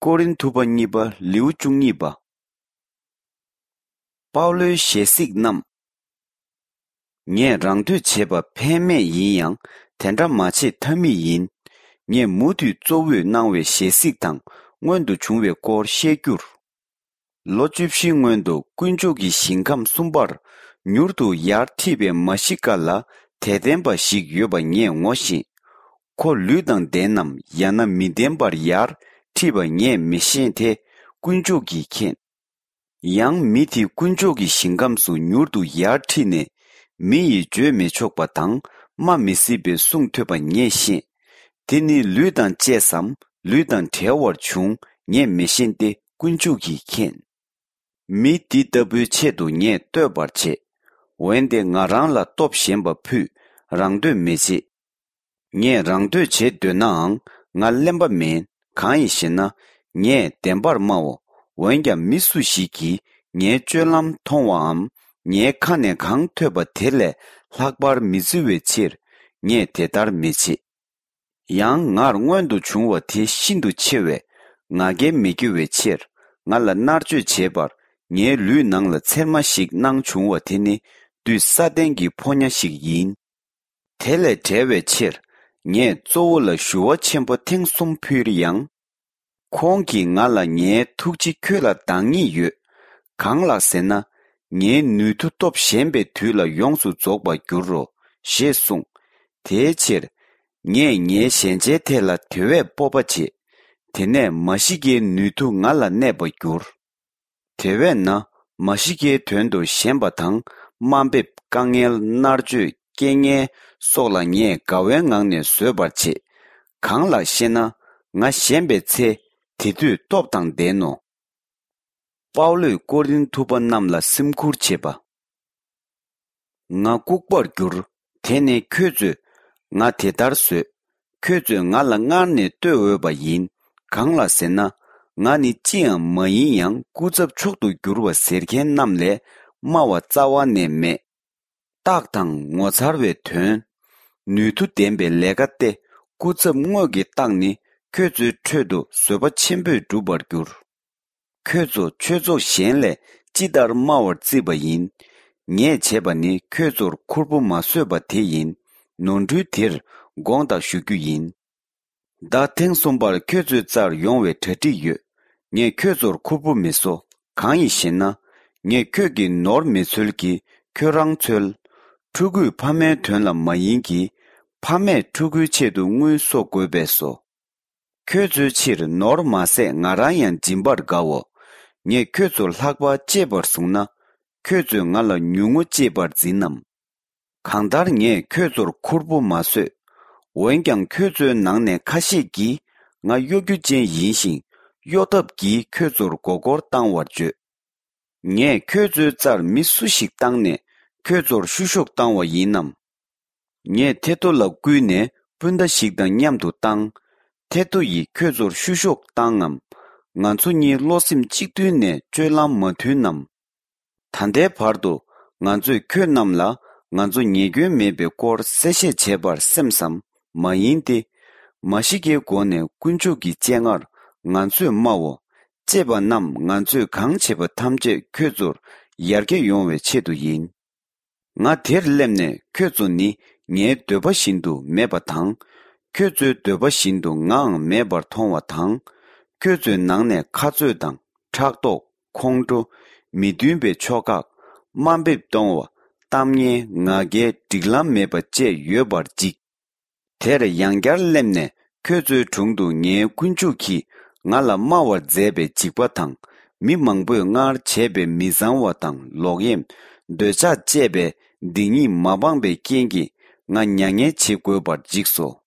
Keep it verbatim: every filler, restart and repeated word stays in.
ཀོ་རིན་ཐུ་པ་གཉིས་པ་ལེའུ་བཅུ་གཉིས་པ། པའུ་ལོའི་ཞལ་གཟིགས་རྣམས། ངས་རང་འདོད་བྱེད་པ་ཕན་མེད་ཡིན་ཡང་དེ་འདྲ་མ་བྱེད་ཐབས་མེད་ཡིན། ངས་མུ་མཐུད་གཙོ་བོས་གནང་བའི་ཞལ་གཟིགས་དང་སྔོན་དུ་བྱུང་བའི་སྐོར་བཤད་རྒྱུར། ལོ་བཅུ་བཞིའི་སྔོན་དུ་དཀོན་མཆོག་གི་ཞིང་ཁམས་གསུམ་པར་མྱུར་དུ་ཡར་ཁྲིད་པའི་མཱ་ཤི་ཀ་ལ་དད་ལྡན་པ་ཞིག་ཡོད་པ་ངས་ངོ་ཤེས། ཁོ་ལུས་དང་ལྡན་ནམ་ཡང་ན་མི་ལྡན་པར་ཡར་ཁྲིད་པ་ངས་མི་ཤེས་ཏེ་དཀོན་མཆོག་གིས་མཁྱེན། ཡང་མི་དེ་དཀོན་མཆོག་གི་ཞིང་ཁམས་སུ་མྱུར་དུ་ཡར་ཁྲིད་ནས་མི་ཡིས་བརྗོད་མི་ཆོག་པ་དང་སྨྲ་མི་སྲིད་པའི་གསུང་ཐོས་པ་ངས་ཤེས། དེ་ནི་ལུས་དང་བཅས་སམ་ལུས་དང་བྲལ་བར་བྱུང་ངས་མི་ཤེས་ཏེ་དཀོན་མཆོག་གིས་མཁྱེན། མི་འདི་ལྟ་བུའི་ཆེད་དུ་ངས་བསྟོད་པར་བྱེད། འོན་ཏེ་ང་རང་ལ་སྟོབས་ཞན་པ་ཕུད་རང་འདོད་མི་བྱེད། ངས་རང་འདོད་བྱེད་འདོད་ནའང་ང་གླེན་པ་མིན། གང་ཡིན་ཞེ་ན། ངས་བདེན་པར་སྨྲའོ། འོན་ཀྱང་མི་སུ་ཞིག་གིས་ངའི་སྤྱོད་ལམ་མཐོང་བའམ་ངའི་ཁ་ནས་གང་ཐོས་པ་དེ་ལས་ལྷག་པར་མི་བརྩི་བའི་ཕྱིར་ངས་དེ་ལྟར་མི་བྱེད། ཡང་ངར་མངོན་དུ་བྱུང་བ་དེ་ཤིན་ཏུ་ཆེ་བས་ང་རྒྱལ་མི་སྐྱེ་བའི་ཕྱིར་ང་ལ་མནར་གཅོད་བྱེད་པར་ངའི་ལུས་ནང་ལ་ཚེར་མ་ཞིག་གནང་བྱུང་བ་དེ་ནི་བདུད་ས་ཏན་གྱི་ཕོ་ཉ་ཞིག་ཡིན། དེ་ལས་བྲལ་བའི་ཕྱིར་ངས་གཙོ་བོ་ལ་ཞུ་བ་ཆེན་པོ་ཐེངས་གསུམ་ཕུལ་ཡང་། ཁོང་གིས་ང་ལ་ངའི་ཐུགས་རྗེ་ཁྱོད་ལ་འདང་ངེས་ཡོད། གང་ལགས་ཟེར་ན། ངའི་ནུས་མཐུ་སྟོབས་ཞན་པའི་དུས་ལ་ཡོངས་སུ་རྫོགས་པར་འགྱུར་རོ། ཞེས་གསུངས། དེའི་ཕྱིར། ངས་ངའི་ཞན་ཆའི་ཐད་ལ་དེ་བས་སྤོབས་པ་བྱེད། དེ་ནས་མཱ་ཤི་ཀའི་ནུས་མཐུ་ང་ལ་གནས་པར་འགྱུར། དེ་བས་ན་མཱ་ཤི་ཀའི་དོན་དུ་ཞན་པ་དང་དམའ་འབེབས་དཀའ་ངལ་མནར་གཅོད་རྐྱེན་ངན་སོགས་ལ་ངས་དགའ་བའི་ངང་ནས་བཟོད་པར་བྱེད། གང་ལགས་ཤེ་ན། ང་ཞན་པའི་ཚེ་དེ་དུས་སྟོབས་དང་ལྡན་ནོ། པའུ་ལོས་ཀོ་རིན་ཐུ་པ་རྣམས་ལ་སེམས་ཁུར་བྱེད་པ། ང་ལྐུགས་པར་འགྱུར། དེ་ནི་ཁྱོད་ཚོས་ང་དེ་ལྟར་བཟོས། ཁྱོད་ཚོས་ང་ལ་སྔར་ནས་བསྟོད་འོས་པ་ཡིན། གང་ལགས་ཟེར་ན། ང་ནི་ཅི་ཡང་མ་ཡིན་ཡང་སྐུ་ཚབ་མཆོག་ཏུ་གྱུར་པ་ཟེར་མཁན་རྣམས་ལས་དམའ་བ་རྩ་བ་ནས་མེད། རྟགས་དང་ངོ་མཚར་བའི་དོན། ནུས་མཐུ་ལྡན་པའི་ལས་ཀ་སྟེ། སྐུ་ཚབ་དངོས་ཀྱི་རྟགས་ནི་ཁྱོད་ཚོའི་ཁྲོད་དུ་བཟོད་པ་ཆེན་པོས་འགྲུབ་པར་འགྱུར། ཁྱོད་ཚོ་ཆོས་ཚོགས་གཞན་ལས་ཅི་ལྟར་དམའ་བར་བརྩིས་པ་ཡིན། ངས་བྱས་པ་ནི་ཁྱོད་ཚོར་ཁུར་པོ་མ་བཟོས་པ་དེ་ཡིན། ནོར་འཁྲུལ་དེར་དགོངས་དག་ཞུ་རྒྱུ་ཡིན། ཟླ་ཐེངས་གསུམ་པར་ཁྱོད་ཚོའི་རྩར་ཡོང་བའི་གྲ་སྒྲིག་ཡོད། ངས་ཁྱོད་ཚོར་ཁུར་པོ་མི་བཟོ། གང་ཡིན་ཞེ་ན། ངས་ཁྱོད་ཀྱི་ནོར་མི་འཚོལ་གྱི་ཁྱོད་རང་འཚོལ། ཕྲུ་གུས་ཕ་མའི་དོན་ལ་མ་ཡིན་གྱི། ཕ་མས་ཕྲུ་གུའི་ཆེད་དུ་དངུལ་གསོག་དགོས་པས་སོ། ཁྱོད་ཚོའི་ཕྱིར་ནོར་མ་ཟད་ང་རང་ཡང་སྦྱིན་པར་དགའོ། ངས་ཁྱོད་ཚོར་ལྷག་པར་གཅེས་པར་བཟུང་ན། ཁྱོད་ཚོས་ང་ལ་ཉུང་ངུ་གཅེས་པར་འཛིན་ནམ། གང་ལྟར་ངས་ཁྱོད་ཚོར་ཁུར་པོ་མ་བཟོས། འོན་ཀྱང་ཁྱོད་ཚོའི་ནང་ནས་ཁ་ཤས་ཀྱིས་ང་གཡོ་སྒྱུ་ཅན་ཡིན་ཞིང་གཡོ་ཐབས་ཀྱིས་ཁྱོད་ཚོར་མགོ་སྐོར་བཏང་བར་བརྗོད། ངས་ཁྱོད་ཚོའི་རྩར་མི་སུ་ཞིག་བཏང་ནས་ཁྱོད་ཚོར་བཤུ་གཞོག་བཏང་བ་ཡིན་ནམ། ངས་ཐེ་ཏོ་ལ་བསྐུལ་ནས་སྤུན་ཟླ་ཞིག་དང་མཉམ་དུ་བཏང་། ཐེ་ཏོ་ཡིས་ཁྱོད་ཚོར་བཤུ་གཞོག་བཏང་ངམ། ང་ཚོ་གཉིས་བློ་སེམས་གཅིག་མཐུན་ནས་སྤྱོད་ལམ་མ་མཐུན་ནམ། ད་ལྟའི་བར་དུ་ང་ཚོས་ཁྱོད་རྣམས་ལ་ང་ཚོ་ཉེས་སྐྱོན་མེད་པའི་སྐོར་གསལ་བཤད་བྱས་པར་སེམས་སམ་མ་ཡིན་ཏེ། མཱ་ཤི་ཀའི་སྒོ་ནས་དཀོན་མཆོག་གི་སྤྱན་སྔར་ང་ཚོས་སྨྲའོ། གཅེས་པ་རྣམས་ང་ཚོས་གང་བྱེད་པ་ཐམས་ཅད་ཁྱོད་ཚོར་ཡར་རྒྱས་ཡོང་བའི་ཆེད་དུ་ཡིན། ང་དེར་སླེབས་ནས་ཁྱོད་ཚོ་ནི་ངའི་འདོད་པ་བཞིན་དུ་མེད་པ་དང་། ཁྱོད་ཚོའི་འདོད་པ་བཞིན་དུ་ངའང་མེད་པར་མཐོང་བ་དང་། ཁྱོད་ཚོའི་ནང་ནས་ཁ་རྩོད་དང་ཕྲག་དོག་ཁོང་ཁྲོ། མི་མཐུན་པའི་ཕྱོགས་ཁག་དམའ་འབེབས་གཏོང་བ། གཏམ་ངན། ང་རྒྱལ། སྒྲིག་ལམ་མེད་པ་བཅས་ཡོད་པར་འཇིགས། དེར་ཡང་བསྐྱར་སླེབས་ནས་ཁྱོད་ཚོའི་དྲུང་དུ་ངའི་དཀོན་མཆོག་གིས་ང་ལ་སྨྲ་བར་མཛད་པའི་འཇིགས་པ་དང་། མི་མང་པོས་སྔར་བྱས་པའི་མི་བཟང་བ་དང་ལོག་གཡེམ། འདོད་ཆགས་བཅས་པའི་སྡིག་ཉེས་མ་སྤངས་པའི་རྐྱེན་གྱིས་ང་མྱ་ངན་བྱེད་དགོས་པར་འཇིགས་སོ།